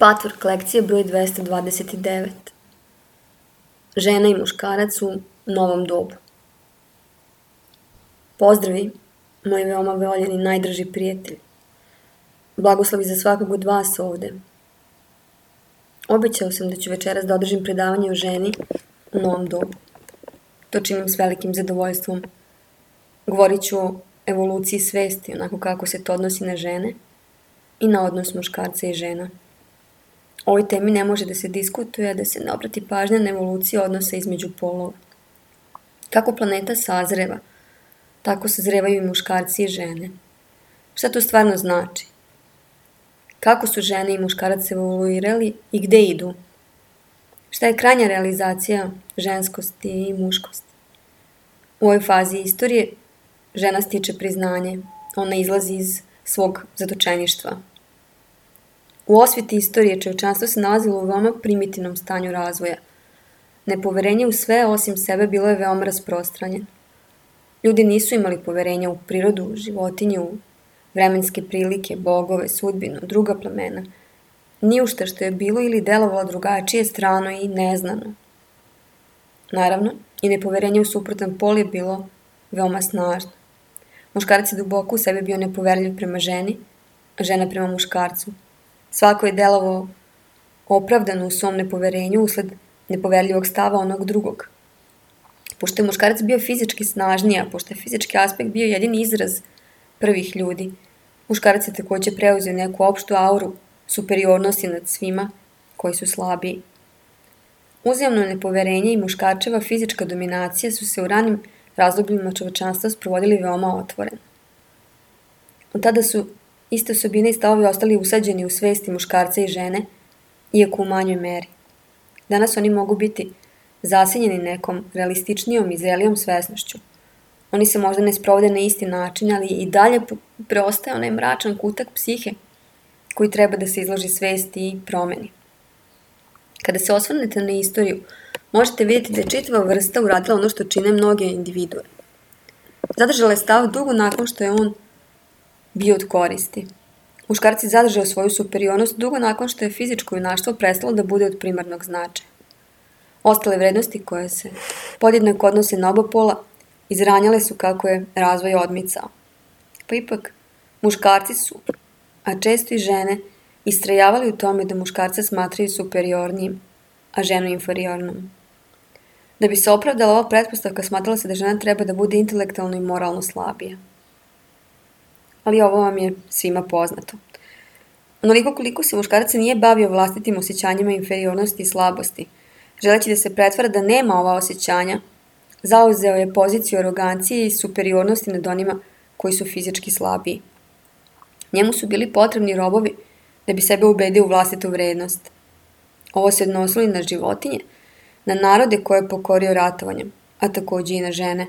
Patvork lekcije broj 229. Žena i muškarac u novom dobu. Pozdravi, moj veoma voljeni najdraži prijatelj. Blagoslovi za svakog od vas ovde. Obećao sam da ću večeras da održim predavanje o ženi u novom dobu. To činim s velikim zadovoljstvom. Govorit ću o evoluciji svesti, onako kako se to odnosi na žene i na odnos muškarca i žena. O ovoj temi ne može da se diskutuje, a da se ne obrati pažnja na evoluciju odnosa između polova. Kako planeta sazreva, tako sazrevaju i muškarci i žene. Šta to stvarno znači? Kako su žene i muškarac evoluirali i gde idu? Šta je krajnja realizacija ženskosti i muškosti? U ovoj fazi istorije žena stiče priznanje, ona izlazi iz svog zatočeništva. U osviti istorije čovečanstvo se nalazilo u veoma primitivnom stanju razvoja. Nepoverenje u sve osim sebe bilo je veoma rasprostranjeno. Ljudi nisu imali poverenja u prirodu, životinju, vremenske prilike, bogove, sudbinu, druga plemena. Ni u šta što je bilo ili delovalo drugačije, strano i neznano. Naravno, i nepoverenje u suprotan pol je bilo veoma snažno. Muškarac je duboko u sebi bio nepoverljiv prema ženi, a žena prema muškarcu. Svako je delovao opravdano u svom nepoverenju usled nepoverljivog stava onog drugog. Pošto je muškarac bio fizički snažniji, a pošto je fizički aspekt bio jedini izraz prvih ljudi, muškarac je takođe preuzeo neku opštu auru superiornosti nad svima koji su slabiji. Uzajamno nepoverenje i muškarčeva fizička dominacija su se u ranim razdobljima čovečanstva sprovodili veoma otvoreno. Od tada su iste osobine i stavovi ostali usađeni u svesti muškarca i žene, iako u manjoj meri. Danas oni mogu biti zasenjeni nekom realističnijom i zrelijom svesnošću. Oni se možda ne sprovode na isti način, ali i dalje preostaje onaj mračan kutak psihe koji treba da se izloži svesti i promeni. Kada se osvrnete na istoriju, možete vidjeti da je čitava vrsta uradila ono što čine mnoge individue. Zadržala je stav dugo nakon što je on bio od koristi. Muškarac je zadržao svoju superiornost dugo nakon što je fizičko junaštvo prestalo da bude od primarnog značaja. Ostale vrednosti koje se podjednako odnose na oba pola izranjale su kako je razvoj odmicao. Pa ipak, muškarci su, a često i žene, istrajavali u tome da muškarca smatraju superiornijim, a ženu inferiornom. Da bi se opravdala ova pretpostavka, smatrala se da žena treba da bude intelektualno i moralno slabija. Ali ovo vam je svima poznato. Onoliko koliko se muškarac nije bavio vlastitim osjećanjima inferiornosti i slabosti, želeći da se pretvara da nema ova osjećanja, zauzeo je poziciju arogancije i superiornosti nad onima koji su fizički slabiji. Njemu su bili potrebni robovi da bi sebe ubedio u vlastitu vrednost. Ovo se odnosilo i na životinje, na narode koje je pokorio ratovanjem, a takođe i na žene.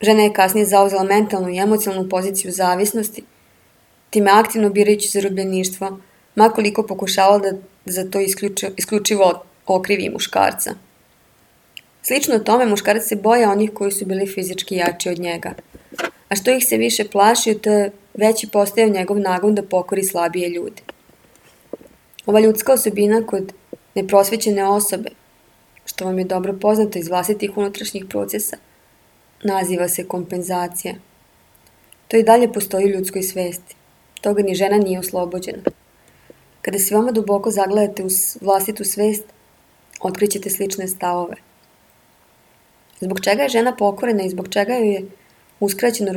Žena je kasnije zauzela mentalnu i emocionalnu poziciju zavisnosti, time aktivno birajući zarobljeništvo, makoliko pokušavala da za to isključivo okrivi muškarca. Slično tome, muškarac se boja onih koji su bili fizički jači od njega. A što ih se više plašio, to je veći postajao njegov nagon da pokori slabije ljude. Ova ljudska osobina kod neprosvećene osobe, što vam je dobro poznato iz vlastitih unutrašnjih procesa, naziva se kompenzacija. To i dalje postoji u ljudskoj svesti. Toga ni žena nije oslobođena. Kada se veoma duboko zagledate u vlastitu svest, otkrićete slične stavove. Zbog čega je žena pokorena i zbog čega joj je uskraćeno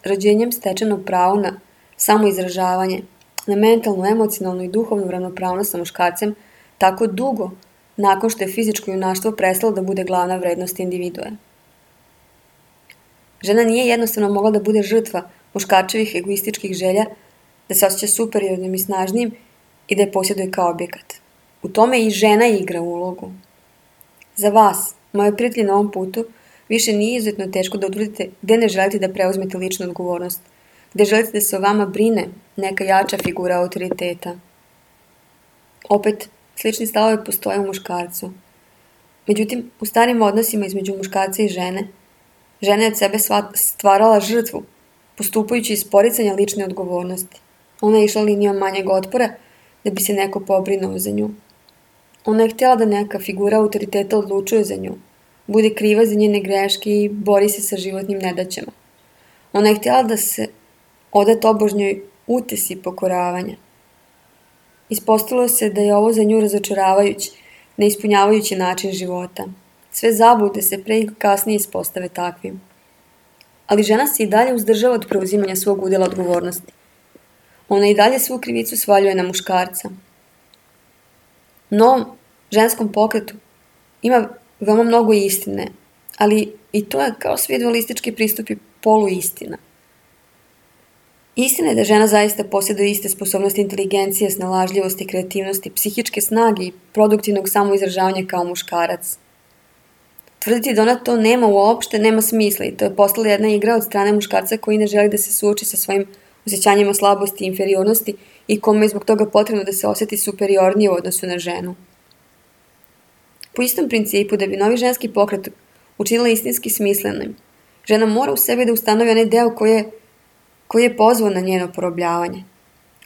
rođenjem stečeno pravo na samoizražavanje, na mentalnu, emocionalnu i duhovnu ravnopravnost sa muškarcem tako dugo nakon što je fizičko junaštvo prestalo da bude glavna vrednost individue. Žena nije jednostavno mogla da bude žrtva muškarčevih egoističkih želja, da se osjeća superiornim i snažnijim i da je posjeduje kao objekat. U tome i žena igra ulogu. Za vas, moje prijatelji na ovom putu, više nije izuzetno teško da utvrdite gde ne želite da preuzmete ličnu odgovornost, gde želite da se o vama brine neka jača figura autoriteta. Opet, slični stavovi postoje u muškarcu. Međutim, u starim odnosima između muškarca i žene, žena je od sebe stvarala žrtvu, postupajući iz poricanja lične odgovornosti. Ona je išla linijom manjeg otpora, da bi se neko pobrinuo za nju. Ona je htjela da neka figura autoriteta odlučuje za nju, bude kriva za njene greške i bori se sa životnim nedaćama. Ona je htjela da se oda tobožnjoj utesi pokoravanja. Ispostavilo se da je ovo za nju razočaravajući, neispunjavajući način života. Sve zablude se pre i kasnije ispostave takvim. Ali žena se i dalje uzdržava od preuzimanja svog udjela odgovornosti. Ona i dalje svu krivicu svaljuje na muškarca. No, ženskom pokretu ima veoma mnogo istine, ali i to je kao svi dualistički pristupi poluistina. Istina je da žena zaista posjeduje iste sposobnosti inteligencije, snalažljivosti, kreativnosti, psihičke snage i produktivnog samoizražavanja kao muškarac. Tvrditi da ona to nema uopšte nema smisla i to je postala jedna igra od strane muškarca koji ne želi da se suoči sa svojim osjećanjima slabosti i inferiornosti i kome je zbog toga potrebno da se osjeti superiornije u odnosu na ženu. Po istom principu, da bi novi ženski pokret učinila istinski smislenim, žena mora u sebi da ustanovi onaj deo koji je pozvao na njeno porobljavanje.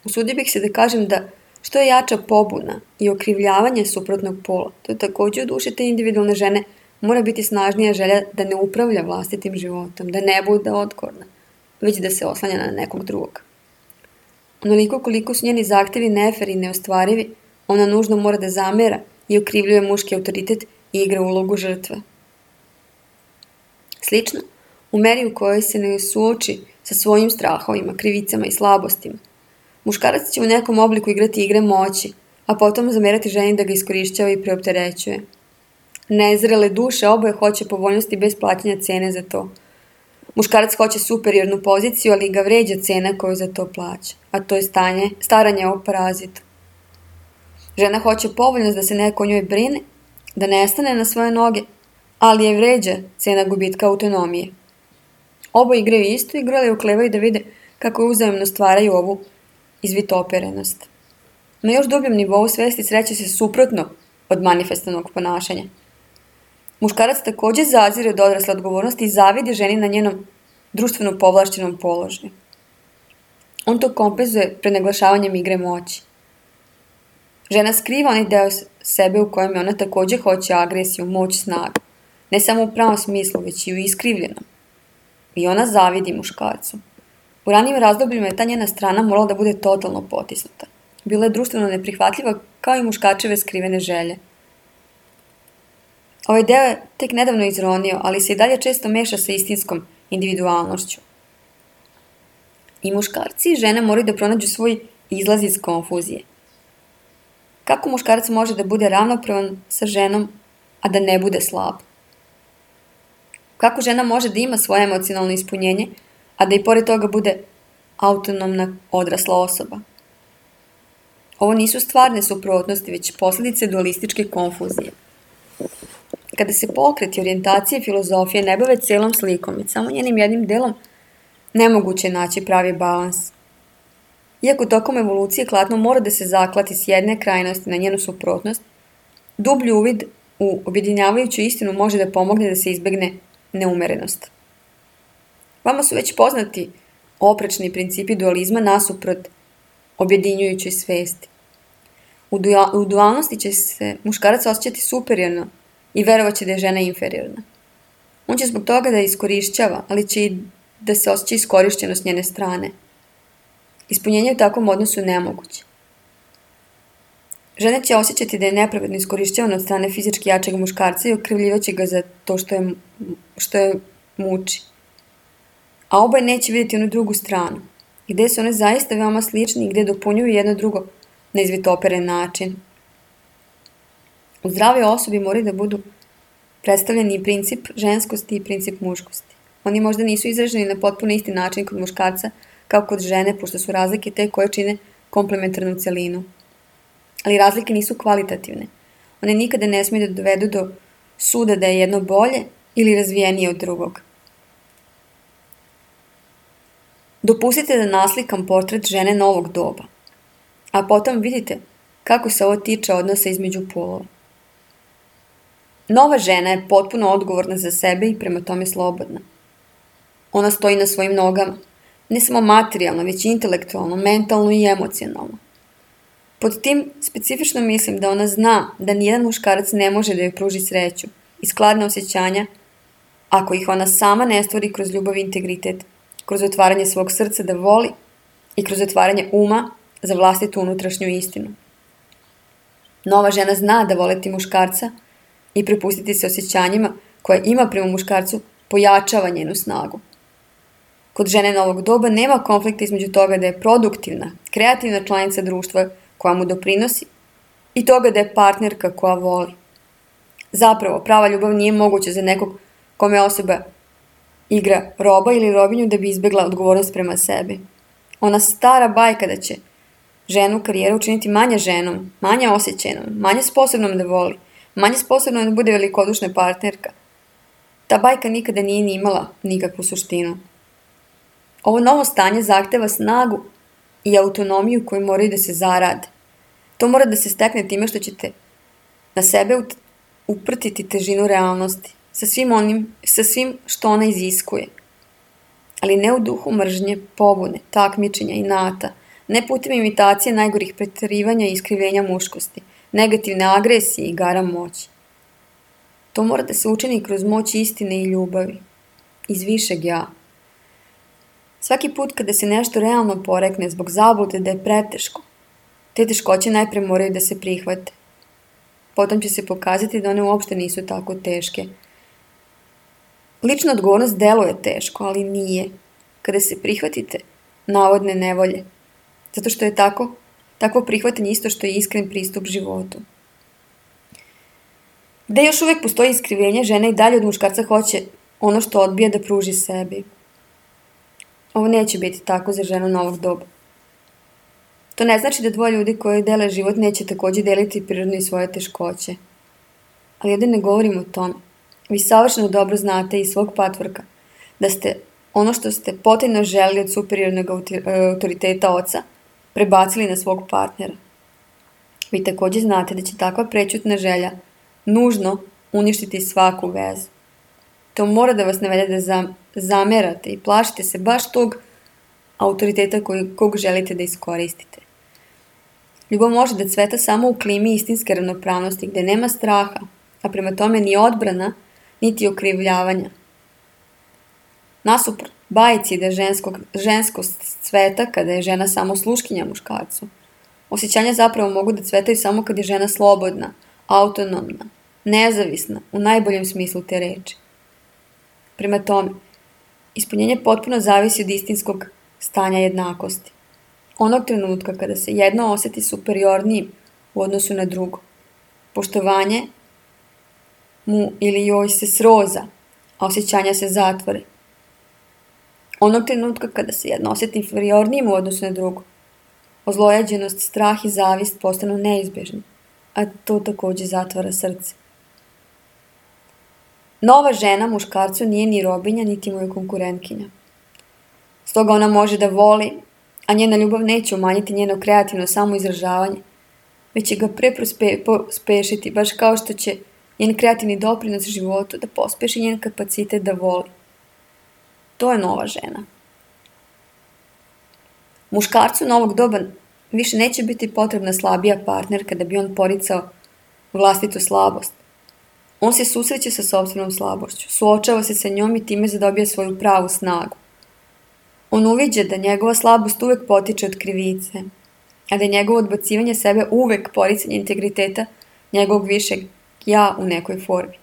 Usudio bih se da kažem da što je jača pobuna i okrivljavanje suprotnog pola, to je također u duši te individualne žene mora biti snažnija želja da ne upravlja vlastitim životom, da ne bude otkorna, već da se oslanja na nekog drugog. Onoliko koliko su njeni zahtjevi nefer i neostvarivi, ona nužno mora da zamera i okrivljuje muški autoritet i igra ulogu žrtve. Slično, u meri u kojoj se ne suoči sa svojim strahovima, krivicama i slabostima, muškarac će u nekom obliku igrati igre moći, a potom zamerati ženi da ga iskorišćava i preopterećuje. Nezrele duše oboje hoće povoljnosti bez plaćanja cene za to. Muškarac hoće superiornu poziciju, ali ga vređa cena koju za to plaća, a to je staranje o parazitu. Žena hoće povoljnost da se neko o njoj brine, da nestane na svoje noge, ali je vređa cena gubitka autonomije. Oboje igraju istu igru, ali uklevaju da vide kako uzajemno stvaraju ovu izvitoperenost. Na još dubljem nivou svesti sreće se suprotno od manifestanog ponašanja. Muškarac također zazire od odrasle odgovornosti i zavidi ženi na njenom društveno povlašćenom položaju. On to kompenzuje prenaglašavanjem igre moći. Žena skriva onaj deo sebe u kojem je ona također hoće agresiju, moć, snagu. Ne samo u pravom smislu, već i u iskrivljenom. I ona zavidi muškarcu. U ranijim razdobljima je ta njena strana morala da bude totalno potisnuta. Bila je društveno neprihvatljiva kao i muškačeve skrivene želje. Ovaj deo je tek nedavno izronio, ali se i dalje često meša sa istinskom individualnošću. I muškarci i žene moraju da pronađu svoj izlaz iz konfuzije. Kako muškarac može da bude ravnopravan sa ženom, a da ne bude slab? Kako žena može da ima svoje emocionalno ispunjenje, a da i pored toga bude autonomna odrasla osoba? Ovo nisu stvarne suprotnosti, već posljedice dualističke konfuzije. Kada se pokret i orijentacije filozofije ne bave celom slikom i samo njenim jednim delom, nemoguće je naći pravi balans. Iako tokom evolucije klatno mora da se zaklati s jedne krajnosti na njenu suprotnost, dublji uvid u objedinjavajuću istinu može da pomogne da se izbegne neumerenost. Vama su već poznati oprečni principi dualizma nasuprot objedinjujućoj svesti. U dualnosti će se muškarac osjećati superiorno i verovaće da je žena inferiorna. On će zbog toga da je iskorišćava, ali će i da se osjeća iskorišćeno s njene strane. Ispunjenje u takvom odnosu je nemoguće. Žena će osjećati da je nepravedno iskorišćavana od strane fizički jačeg muškarca i okrivljivaće ga za to što je muči. A oboje neće vidjeti onu drugu stranu, gde su one zaista veoma slični i gde dopunjuju jedno drugo na izvitoperen način. U zdravoj osobi moraju da budu predstavljeni i princip ženskosti i princip muškosti. Oni možda nisu izraženi na potpuno isti način kod muškarca kao kod žene, pošto su razlike te koje čine komplementarnu celinu. Ali razlike nisu kvalitativne. One nikada ne smiju da dovedu do suda da je jedno bolje ili razvijenije od drugog. Dopustite da naslikam portret žene novog doba, a potom vidite kako se ovo tiče odnosa između polova. Nova žena je potpuno odgovorna za sebe i prema tome slobodna. Ona stoji na svojim nogama, ne samo materijalno, već i intelektualno, mentalno i emocionalno. Pod tim specifično mislim da ona zna da nijedan muškarac ne može da joj pruži sreću i skladne osjećanja ako ih ona sama ne stvori kroz ljubav i integritet, kroz otvaranje svog srca da voli i kroz otvaranje uma za vlastitu unutrašnju istinu. Nova žena zna da voleti muškarca i prepustiti se osjećanjima koje ima prema muškarcu pojačava njenu snagu. Kod žene novog doba nema konflikta između toga da je produktivna, kreativna članica društva koja mu doprinosi i toga da je partnerka koja voli. Zapravo, prava ljubav nije moguća za nekog kome osoba igra roba ili robinju da bi izbjegla odgovornost prema sebi. Ona stara bajka da će ženu karijeru učiniti manje ženom, manje osjećajnom, manje sposobnom da voli, manje sposobnom da bude velikodušna partnerka. Ta bajka nikada nije ni imala nikakvu suštinu. Ovo novo stanje zahteva snagu i autonomiju koju moraju da se zarade. To mora da se stekne time što ćete na sebe uprtiti težinu realnosti, sa svim što ona iziskuje. Ali ne u duhu mržnje, pobune, takmičenja, inata, ne putem imitacije najgorih preterivanja i iskrivljenja muškosti, negativne agresije i igara moći. To mora da se učini kroz moć istine i ljubavi, iz višeg ja. Svaki put kada se nešto realno porekne zbog zablude da je preteško, te teškoće najpre moraju da se prihvate. Potom će se pokazati da one uopšte nisu tako teške. Lična odgovornost deluje teško, ali nije. Kada se prihvatite navodne nevolje, zato što je takvo prihvatanje isto što je iskren pristup životu. Gde još uvijek postoji iskrivljenje, žena i dalje od muškarca hoće ono što odbija da pruži sebi. Ovo neće biti tako za ženu novog doba. To ne znači da dvoje ljudi koji dele život neće također deliti prirodno i svoje teškoće. Ali ovdje ne govorim o tome. Vi savršeno dobro znate iz svog patvorka da ste ono što ste potajno želeli od superiornog autoriteta oca prebacili na svog partnera. Vi također znate da će takva prećutna želja nužno uništiti svaku vezu. To mora da vas navede da zamerate i plašite se baš tog autoriteta kog želite da iskoristite. Ljubav može da cveta samo u klimi istinske ravnopravnosti gdje nema straha, a prema tome ni odbrana, niti okrivljavanja. Nasuprot bajci da ženskost cveta kada je žena samo sluškinja muškarcu. Osjećanja zapravo mogu da cvetaju samo kad je žena slobodna, autonomna, nezavisna, u najboljem smislu te reči. Prema tome, ispunjenje potpuno zavisi od istinskog stanja jednakosti. Onog trenutka kada se jedno osjeti superiornijim u odnosu na drugo, poštovanje mu ili joj se sroza, a osjećanja se zatvore. Onog trenutka kada se jedno osjeti inferiornijim u odnosu na drugo, ozlojeđenost, strah i zavist postanu neizbježni, a to također zatvara srce. Nova žena muškarcu nije ni robinja, niti mu je konkurentkinja. Stoga ona može da voli, a njena ljubav neće umanjiti njeno kreativno samoizražavanje, već će ga pospešiti, baš kao što će njen kreativni doprinos životu da pospeši njen kapacitet da voli. To je nova žena. Muškarcu novog doba više neće biti potrebna slabija partnerka da bi on poricao vlastitu slabost. On se susreće sa sopstvenom slabošću, suočava se sa njom i time zadobija svoju pravu snagu. On uviđa da njegova slabost uvek potiče od krivice, a da je njegovo odbacivanje sebe uvek poricanje integriteta njegovog višeg ja u nekoj formi.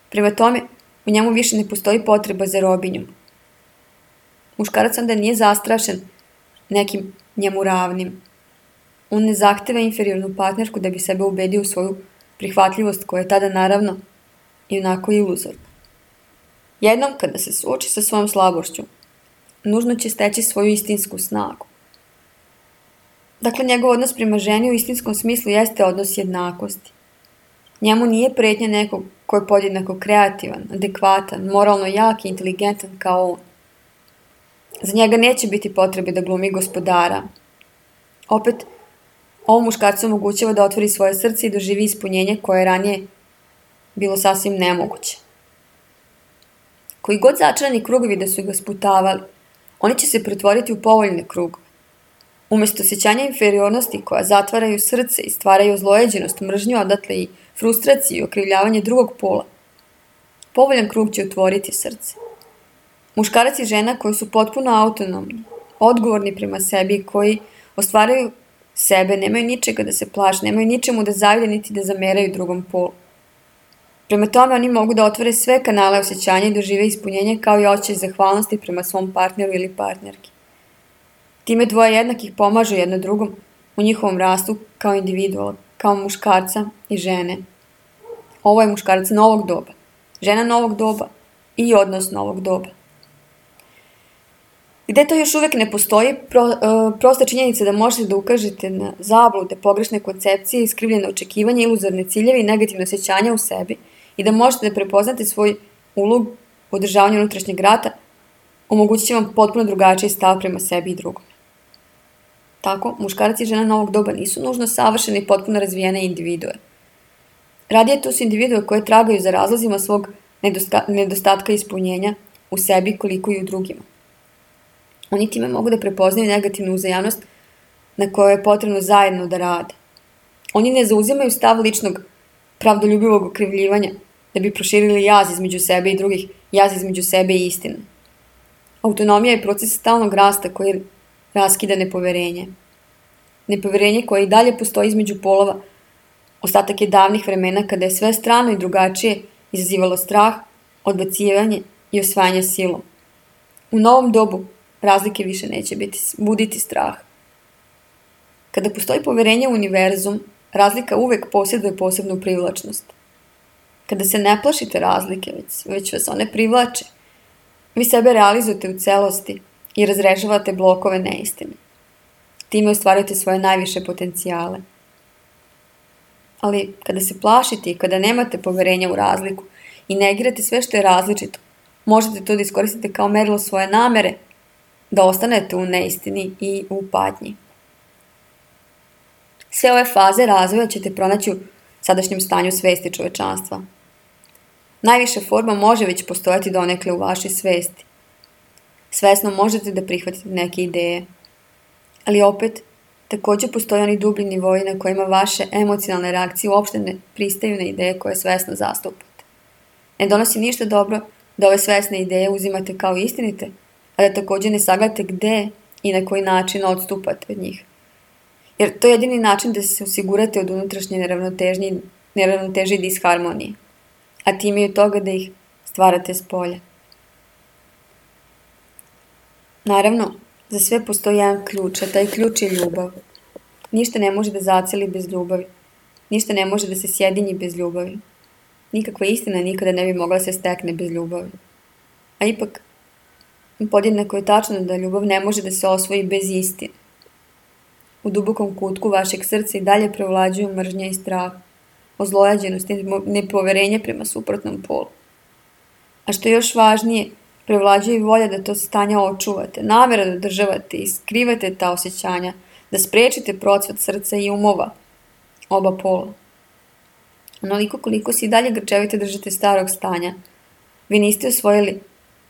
Prema tome, u njemu više ne postoji potreba za robinjom. Muškarac onda nije zastrašen nekim njemu ravnim. On ne zahteva inferiornu partnerku da bi sebe ubedio u svoju prihvatljivost koja je tada naravno i onako iluzorna. Jednom kada se suoči sa svojom slabošću, nužno će steći svoju istinsku snagu. Dakle, njegov odnos prema ženi u istinskom smislu jeste odnos jednakosti. Njemu nije pretnja nekog ko je podjednako kreativan, adekvatan, moralno jak i inteligentan kao on. Za njega neće biti potrebe da glumi gospodara. Opet, ovo muškarcu omogućava da otvori svoje srce i doživi ispunjenje koje je ranije bilo sasvim nemoguće. Koji god začarani krugovi da su ga sputavali, oni će se pretvoriti u povoljne krugove. Umesto osjećanja inferiornosti koja zatvaraju srce i stvaraju ozlojeđenost, mržnju, odatle i frustraciju i okrivljavanje drugog pola, povoljan krug će otvoriti srce. Muškarac i žena koji su potpuno autonomni, odgovorni prema sebi, koji ostvaraju sebe, nemaju ničega da se plaše, nemaju ničemu da zavide niti da zameraju drugom polu. Prema tome oni mogu da otvore sve kanale osjećanja i dožive ispunjenje kao i osjećaj zahvalnosti prema svom partneru ili partnerki. Time dvoje jednakih pomažu jedno drugom u njihovom rastu kao individuala, kao muškarca i žene. Ovo je muškarac novog doba, žena novog doba i odnos novog doba. Gde to još uvek ne postoji, prosta činjenica da možete da ukažete na zablude, pogrešne koncepcije, iskrivljene očekivanja, iluzorne ciljeve i negativne osjećanja u sebi i da možete da prepoznate svoj ulog u održavanju unutrašnjeg rata, omogućit će vam potpuno drugačiji stav prema sebi i drugom. Tako, muškarac i žena novog doba nisu nužno savršene i potpuno razvijene individue. Radije to su individue koje tragaju za razlozima svog nedostatka ispunjenja u sebi koliko i u drugima. Oni time mogu da prepoznaju negativnu uzajamnost na kojoj je potrebno zajedno da rade. Oni ne zauzimaju stav ličnog pravdoljubivog okrivljivanja da bi proširili jaz između sebe i drugih, jaz između sebe i istine. Autonomija je proces stalnog rasta koji raskida nepoverenje. Nepoverenje koje i dalje postoji između polova, ostatak je davnih vremena kada je sve strano i drugačije izazivalo strah, odbacivanje i osvajanje silom. U novom dobu razlike više neće buditi strah. Kada postoji poverenje u univerzum, razlika uvek posjeduje posebnu privlačnost. Kada se ne plašite razlike, već vas one privlače, vi sebe realizujete u celosti i razrešavate blokove neistine. Time ostvarujete svoje najviše potencijale. Ali kada se plašite i kada nemate poverenja u razliku i negirate sve što je različito, možete to da iskoristite kao merilo svoje namere, da ostanete u neistini i u patnji. Sve ove faze razvoja ćete pronaći u sadašnjem stanju svesti čovečanstva. Najviša forma može već postojati donekle u vašoj svesti. Svesno možete da prihvatite neke ideje, ali opet takođe postoje oni dublji nivoji na kojima vaše emocionalne reakcije uopšte ne pristaju na ideje koje svesno zastupate. Ne donosi ništa dobro da ove svesne ideje uzimate kao istinite, a da takođe ne sagledate gde i na koji način odstupate od njih. Jer to je jedini način da se osigurate od unutrašnje neravnoteže i disharmonije, a time i od toga da ih stvarate s polja. Naravno, za sve postoji jedan ključ, a taj ključ je ljubav. Ništa ne može da zaceli bez ljubavi. Ništa ne može da se sjedinji bez ljubavi. Nikakva istina nikada ne bi mogla se stekne bez ljubavi. A ipak, podjednako je tačno da ljubav ne može da se osvoji bez istine. U dubokom kutku vašeg srca i dalje prevlađuju mržnja i strah, ozlojađenost i nepoverenje prema suprotnom polu. A što je još važnije, prevlađuje i volja da to stanje očuvate, namera da održavate i skrivate ta osjećanja, da sprečite procvat srca i umova oba pola. Onoliko koliko se i dalje grčevite držite starog stanja, vi niste osvojili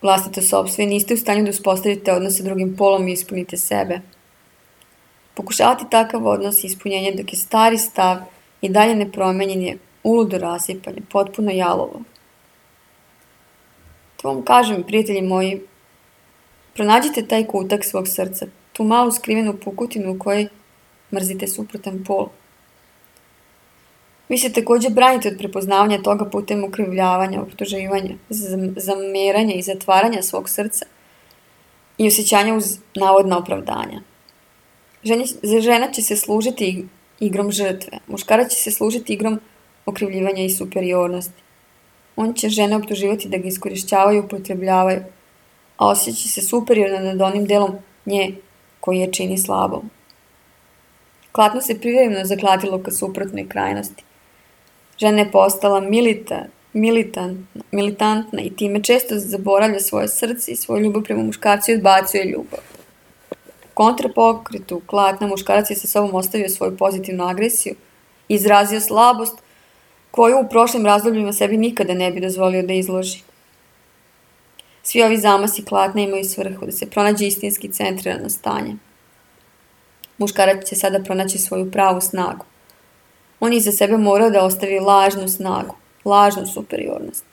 vlastito sopstvo i niste u stanju da uspostavite odnos sa drugim polom i ispunite sebe. Pokušavati takav odnos i ispunjenje dok je stari stav i dalje nepromenjen je uludo rasipanje, potpuno jalovo. To vam kažem, prijatelji moji, pronađite taj kutak svog srca, tu malu skrivenu pukutinu u kojoj mrzite suprotan pol. Vi se takođe branite od prepoznavanja toga putem ukrivljavanja, optuživanja, zameranja i zatvaranja svog srca i osjećanja uz navodna opravdanja. Žena će se služiti igrom žrtve, muškarac će se služiti igrom okrivljivanja i superiornosti. On će žene optuživati da ga iskorišćavaju i upotrebljavaju, a osjeća se superiorno nad onim delom nje koji je čini slabom. Klatno se privremeno zaklatilo ka suprotnoj krajnosti. Žena je postala militantna i time često zaboravlja svoje srce i svoju ljubav prema muškarcu i odbacuje ljubav. U kontrapokretu klatna muškarac je sa sobom ostavio svoju pozitivnu agresiju i izrazio slabost koju u prošlim razdobljima sebi nikada ne bi dozvolio da izloži. Svi ovi zamasi klatna imaju svrhu da se pronađe istinski centrirano stanje. Muškarac će sada pronaći svoju pravu snagu. On iza sebe mora da ostavi lažnu snagu, lažnu superiornost.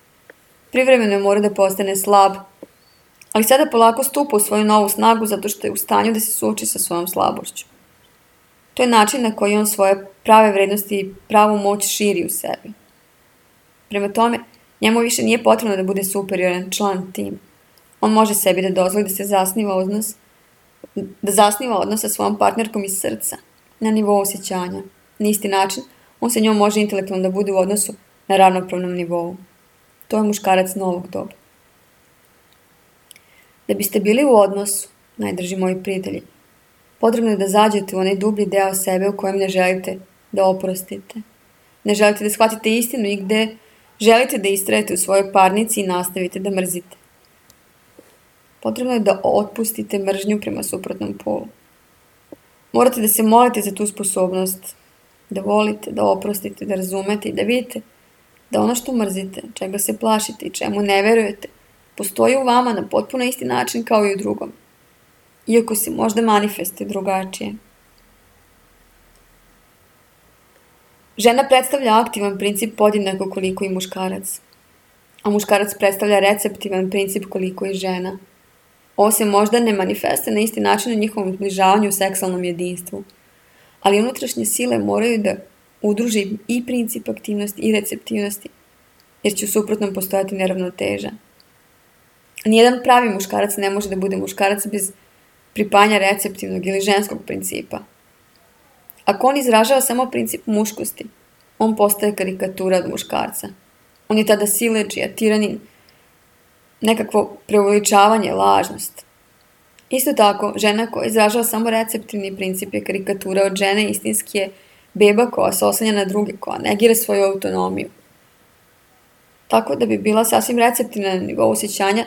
Privremeno mora da postane slab, ali sada polako stupa u svoju novu snagu zato što je u stanju da se suoči sa svojom slabošću. To je način na koji on svoje prave vrednosti i pravu moć širi u sebi. Prema tome, njemu više nije potrebno da bude superioran član tima. On može sebi da dozvoli da se zasniva odnos sa svojom partnerkom iz srca, na nivou osjećanja. Na isti način, on sa njom može intelektualno da bude u odnosu na ravnopravnom nivou. To je muškarac novog doba. Da biste bili u odnosu, najdraži moji prijatelji, potrebno je da zađete u onaj dublji deo sebe u kojem ne želite da oprostite. Ne želite da shvatite istinu i gde želite da istrajete u svojoj parnici i nastavite da mrzite. Potrebno je da otpustite mržnju prema suprotnom polu. Morate da se molite za tu sposobnost, da volite, da oprostite, da razumete i da vidite da ono što mrzite, čega se plašite i čemu ne verujete, postoji u vama na potpuno isti način kao i u drugom, iako se možda manifestuje drugačije. Žena predstavlja aktivan princip podjednako koliko i muškarac, a muškarac predstavlja receptivan princip koliko i žena. Ovo se možda ne manifestuje na isti način u njihovom zbližavanju u seksualnom jedinstvu, ali unutrašnje sile moraju da udruži i princip aktivnosti i receptivnosti, jer će u suprotnom postojati neravnoteža. Nijedan pravi muškarac ne može da bude muškarac bez pripajanja receptivnog ili ženskog principa. Ako on izražava samo princip muškosti, on postaje karikatura od muškarca. On je tada siledžija, tiranin, nekakvo preuveličavanje, lažnost. Isto tako, žena koja izražava samo receptivni princip je karikatura od žene, istinski je beba koja se oslanja na druge, koja negira svoju autonomiju. Tako da bi bila sasvim receptivna na nivou osjećanja,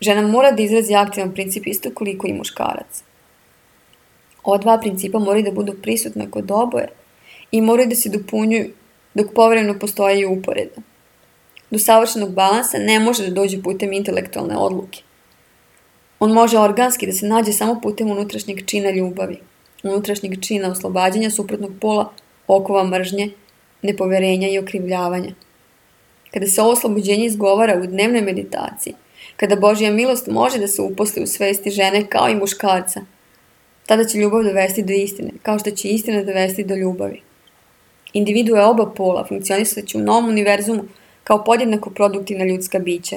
žena mora da izrazi aktivan princip isto koliko i muškarac. Ova dva principa moraju da budu prisutna kod oboje i moraju da se dopunjuju dok povremeno postoje i uporedo. Do savršenog balansa ne može da dođe putem intelektualne odluke. On može organski da se nađe samo putem unutrašnjeg čina ljubavi, unutrašnjeg čina oslobađanja suprotnog pola, okova mržnje, nepoverenja i okrivljavanja. Kada se ovo oslobođenje izgovara u dnevnoj meditaciji, kada Božja milost može da se uposli u svesti žene kao i muškarca, tada će ljubav dovesti do istine, kao što će istina dovesti do ljubavi. Individue oba pola funkcionisaće u novom univerzumu kao podjednako produktivna ljudska bića,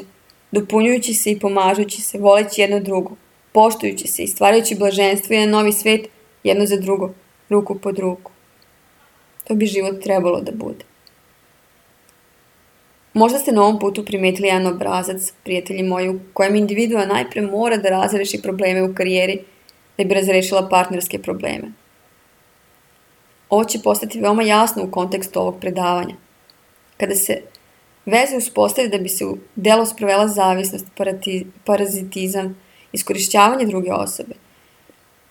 dopunjujući se i pomažući se, voleći jedno drugo, poštujući se i stvarajući blaženstvo i jedan novi svet jedno za drugo, ruku pod ruku. To bi život trebalo da bude. Možda ste na ovom putu primetili jedan obrazac, prijatelji moji, u kojem individua najpre mora da razreši probleme u karijeri da bi razrešila partnerske probleme. Ovo će postati veoma jasno u kontekstu ovog predavanja. Kada se veze uspostavi da bi se u delo sprovela zavisnost, parazitizam, iskorišćavanje druge osobe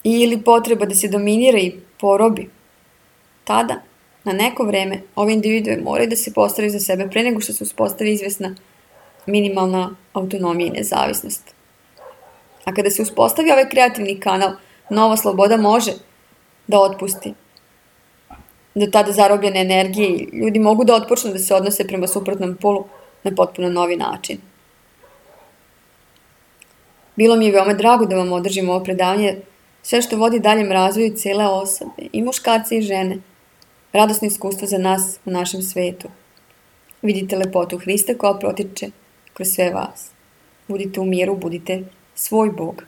ili potreba da se dominira i porobi, tada, na neko vreme, ove individue moraju da se postavaju za sebe pre nego što se uspostavi izvesna minimalna autonomija i nezavisnost. A kada se uspostavi ovaj kreativni kanal, nova sloboda može da otpusti do tada zarobljene energije i ljudi mogu da otpočnu da se odnose prema suprotnom polu na potpuno novi način. Bilo mi je veoma drago da vam održim ovo predavanje, sve što vodi daljem razvoju cele osobe, i muškarce i žene, radosno iskustvo za nas u našem svetu. Vidite lepotu Hrista koja protiče kroz sve vas. Budite u miru, budite svoj Bog.